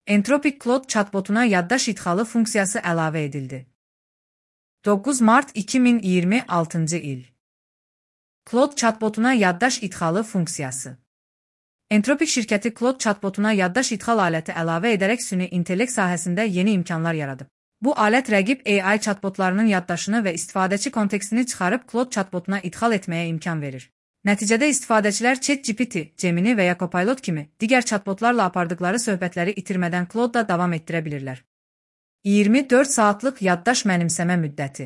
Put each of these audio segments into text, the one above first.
Entropic Claude chatbotuna yaddaş idxalı funksiyası əlavə edildi. 9 mart 2026 il. Claude chatbotuna yaddaş idxalı funksiyası. Entropic şirkəti Claude chatbotuna yaddaş idxal aləti əlavə edərək süni intellekt sahəsində yeni imkanlar yaradıb. Bu alət rəqib AI chatbotlarının yaddaşını və istifadəçi kontekstini çıxarıb Claude chatbotuna idxal etməyə imkan verir. Nəticədə istifadəçilər ChatGPT, Gemini və ya Copilot kimi digər chatbotlarla apardıqları söhbətləri itirmədən Claude-da davam etdirə bilirlər. 24 saatlıq yaddaş mənimsəmə müddəti.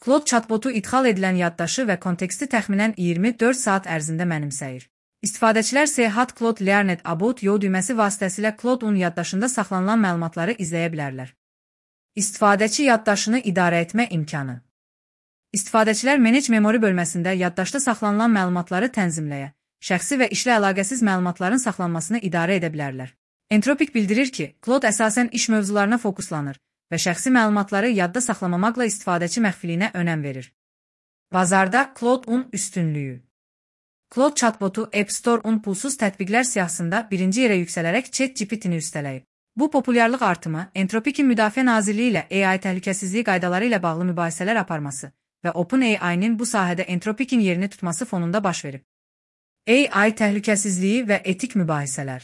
Claude chatbotu idxal edilən yaddaşı və konteksti təxminən 24 saat ərzində mənimsəyir. İstifadəçilər Sehat Claude Learned About You düyməsi vasitəsilə Claude-un yaddaşında saxlanılan məlumatları izləyə bilərlər. İstifadəçi yaddaşını idarə etmə imkanı. İstifadəçilər Manage Memory bölməsində yaddaşda saxlanılan məlumatları tənzimləyə, şəxsi və işlə əlaqəsiz məlumatların saxlanmasını idarə edə bilərlər. Entropic bildirir ki, Claude əsasən iş mövzularına fokuslanır və şəxsi məlumatları yadda saxlamamaqla istifadəçi məxfiliyinə önəm verir. Bazarda Claude-un üstünlüyü. Claude chatbotu App Store-un pulsuz tətbiqlər siyahısında birinci yerə yüksələrək ChatGPT-ni üstələyib. Bu populyarlıq artımı Entropic'in Müdafiə Nazirliyi ilə AI təhlükəsizliyi qaydaları ilə bağlı mübahisələr aparması və OpenAI-nin bu sahədə Entropic'in yerini tutması fonunda baş verib. AI təhlükəsizliyi və etik mübahisələr.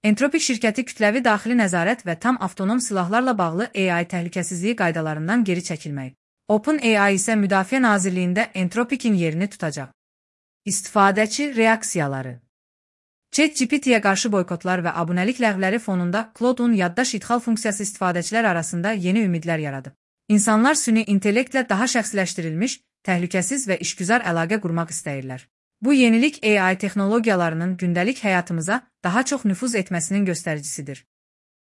Entropic şirkəti kütləvi daxili nəzarət və tam avtonom silahlarla bağlı AI təhlükəsizliyi qaydalarından geri çəkilməyib. OpenAI isə Müdafiə Nazirliyində Entropic'in yerini tutacaq. İstifadəçi reaksiyaları. ChatGPT-yə qarşı boykotlar və abunəlik ləğvləri fonunda Claude-un yaddaş idxal funksiyası istifadəçilər arasında yeni ümidlər yaradıb. İnsanlar süni intellektlə daha şəxsiləşdirilmiş, təhlükəsiz və işgüzar əlaqə qurmaq istəyirlər. Bu yenilik AI texnologiyalarının gündəlik həyatımıza daha çox nüfuz etməsinin göstəricisidir.